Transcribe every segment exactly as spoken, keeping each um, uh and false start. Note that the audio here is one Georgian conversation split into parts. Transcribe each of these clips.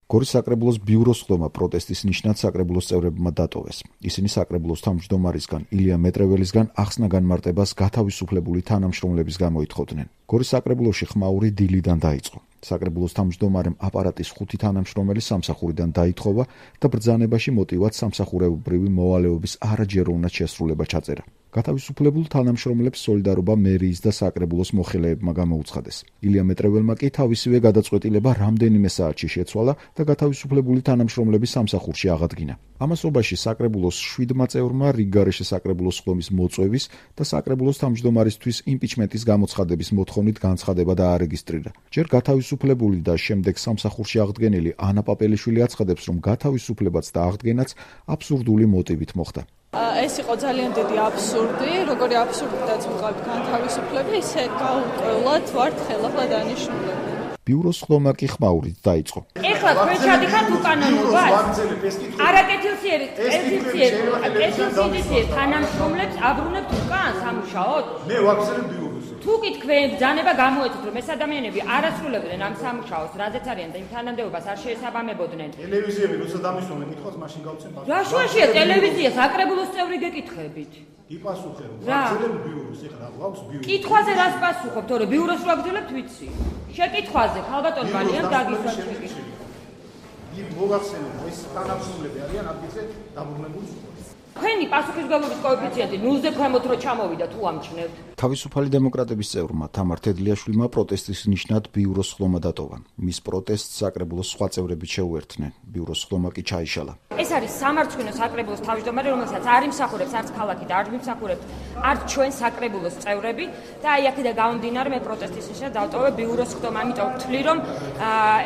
გორის საკრებულოს ბიუროს ხდომა პროტესტის ნიშნად საკრებულოს წევრებმა დატოვეს. ისინი საკრებულოს თავმჯდომარისგან ილია მეტრეველისგან ახსნა განმარტებას გათავისუფლებული თანამშრომლების გამოითხოვდნენ. გორის საკრებულოში ხმაური დილიდან დაიწყო. საკრებულოს თავმჯდომარემ აპარატის ხუთი თანამშრომელი სამსახურიდან დაითხოვა და ბრძანებაში მოტივად სამსახურებრივი მოვალეობის არაჯეროვნად შესრულება ჩაწერა. გათავისუფლებულ თანამშრომლებს სოლიდარობა მერიის და საკრებულოს მოხელეებმა გამოუცხადეს. ილია მეტრეველმა კი თავისივე გადაწყვეტილება რამდენიმე საათში შეცვალა და გათავისუფლებული თანამშრომლების სამსახურში აღადგინა. ამასობაში საკრებულოს შვიდმა წევრმა რიგგარეშე საკრებულოს ხდომის მოწვევის და საკრებულოს თავმჯდომარისთვის იმპიჩმენტის გამოცხადების მოთხოვნით განცხადება დაარეგისტრირა. ჯერ გათავისუფლებული და შემდეგ სამსახურში აღდგენილი ანა პაპელიშვილი აცხადებს, რომ გათავისუფლებაც და აღდგენაც აბსურდული მოტივით მოხდა. ეს იყო ძალიან დიდი აბსურდი, როგორი აბსურდითაც ვიყავით განთავისუფლება, ისე გაუკვირვად ვართ ხელახლა დანიშნულები. ბიუროს ხდომა კი ხმაურით დაიწყო. ეხლა თქვენ ჩადიხართ უკანონობას? არაკეთილსიერი, კეთილსიერი, კეთილსიერი თანამშრომლებს აბრუნებთ უკან სამუშაოდ? მე ვაქცევ ბიუროს. თუ კი თქვენ ბრძანება გამოეცეთ, რომ ეს ადამიანები არ ასრულებდნენ ამ სამუშაოს, რადგან არიან და იმ თანამდებობას არ შეესაბამებოდნენ. ტელევიზიები როცა დამისვენ, მითხოს მაშინ გავცემ პასუხი. რა შუაშია ტელევიზია, საკრებულოს წევრი გეკითხებით? იპასუხე, ვაქცევ ბიუროს, ეხლა გვაქვს ბიურო. კითხვაზე რას პასუხობ, თორე ბიუროს რო აგძლებთ ვიცი. შეკითხვაზე, ხალბატონ მალიან დაგისვათ შეკითხვა. იმ მოგახსენებ, ეს თანამშრომლები არიან ადგილზე დაბრუნებული. თქვენი პასუხისმგებლობის კოეფიციენტი ნულზე ქვემოთ რო ჩამოვიდა თუ ამჩნევთ. თავისუფალი დემოკრატების წევრმა თამარ თედლიაშვილმა პროტესტის ნიშნად ბიუროს ხდომა დატოვა. მის პროტესტს საკრებულოს სხვა წევრებიც შეუერთდნენ. ბიუროს ხდომა კი ჩაიშალა. ეს არის სამარცხვინო საკრებულოს თავმჯდომარე, რომელსაც არ იმსახურებს არც ქალაქი და არ მიმსახურებს არც ჩვენ საკრებულოს წევრები და აი აქედან გამომდინარე მე პროტესტის ნიშნად დავტოვე ბიუროს ხდომა. ამიტომ ვთვლი, რომ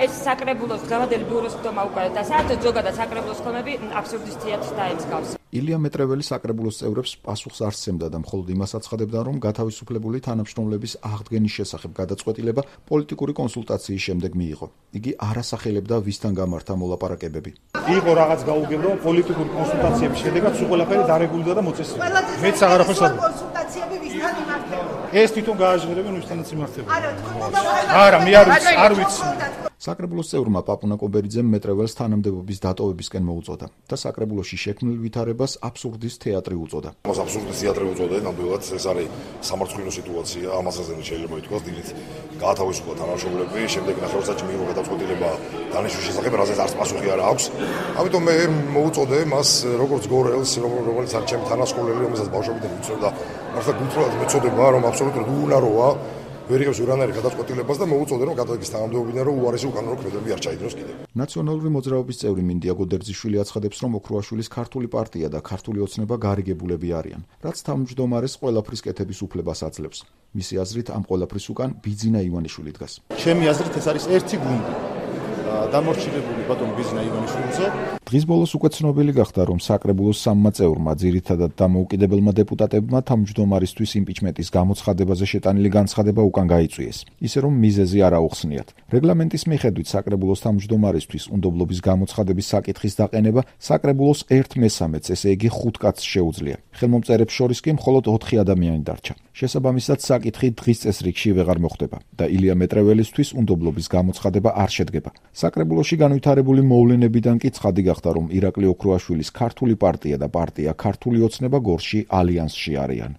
ეს საკრებულოს დღევანდელი ბიუროს ხდომა უკვე და საერთოდ ზოგადად საკრებულოს ხდომები აბსურდისტიათ დაემსგავს. ილია მეტრეველი საკრებულოს წევრებს პასუხს არ სცემდა და მხოლოდ იმას აცხადებდა, რომ გათავისუფლებული თანამშრომლების აღდგენის შესახებ გადაწყვეტილება პოლიტიკური კონსულტაციის შემდეგ მიიღო. იგი არ ასახელებდა ვისთან გამართა მოლაპარაკებები. იყო რაღაც გაუგებრო პოლიტიკური კონსულტაციების შედეგად სულ ყველაფერი დარეგულირდა და მოწესრიგდა. მეც აღარაფერს არ კონსულტაციები ვისთან იმართება? ეს თვითონ გააჟღერებენ ვისთანაც იმართება. არა, მე არ ვიცი, არ ვიცი. საკრებულოს წევრმა პაპუნა კობერიძემ მეტრეველს თანამდებობის დატოვებისკენ მოუწოდა და საკრებულოში შექმნილ ვითარებას აბსურდის თეატრი უწოდა. მას აბსურდის თეატრი უწოდა, ნამდვილად ეს არის სამარცხვინო სიტუაცია, ამასაც შეიძლება ითქვას, დილით გაათავისუფლა თანამშრომლები, შემდეგ ნახევარსაათში მიიღო გადაწყვეტილება დანიშნვის შესახებ, რაზეც არც პასუხი არ აქვს. ამიტომ მე მოუწოდე მას როგორც გორელს, რომელიც არის ჩემი თანასწორელი, რომელსაც ბავშვობიდან ვიცნობ და მართლა გულწრფელად მეწოდება, რომ აბსოლუტურად უუნაროა ვერიღებს ურანარი გადაწყვეტილებას და მოუწოდე, რომ გადადგეს თანამდებობიდან, რომ უარესი უკანონო ქმედები არ ჩაიდროს კიდევ. ნაციონალური მოძრაობის წევრი მინდია გოდერძიშვილი აცხადებს, რომ ოქროაშვილის ქართული პარტია და ქართული ოცნება გარიგებულები არიან, რაც თავმჯდომარეს ყველაფრის კეთების უფლებას აძლევს. მისი აზრით ამ ყველაფრის უკან ბიძინა ივანიშვილი დგას. ჩემი აზრით ეს არის ერთი გუნდი. დამორჩილებული ბატონ ბიძინა ივანიშვილზე. დღის ბოლოს უკვე ცნობილი გახდა, რომ საკრებულოს სამმა წევრმა, ძირითადად დამოუკიდებელმა დეპუტატებმა თავმჯდომარისთვის იმპიჩმენტის გამოცხადებაზე შეტანილი განცხადება უკან გაიწვიეს, ისე რომ მიზეზი არ აუხსნიათ. რეგლამენტის მიხედვით საკრებულოს თავმჯდომარისთვის უნდობლობის გამოცხადების საკითხის დაყენება საკრებულოს ერთ მესამედს, ესე იგი ხუთ კაცს შეუძლია. ხელმომწერებს შორის კი მხოლოდ ოთხი ადამიანი დარჩა. შესაბამისად, საკითხი დღის წესრიგში ვეღარ მოხდება და ილია მეტრეველისთვის უნდობლობის გამოცხადება არ შედგება. საკრებულოში განვითარებული მოვლენებიდან კი ცხადი გახდა, რომ ირაკლი ოქროაშვილის ქართული პარტია და პარტია ქართული ოცნება გორში ალიანსში არიან.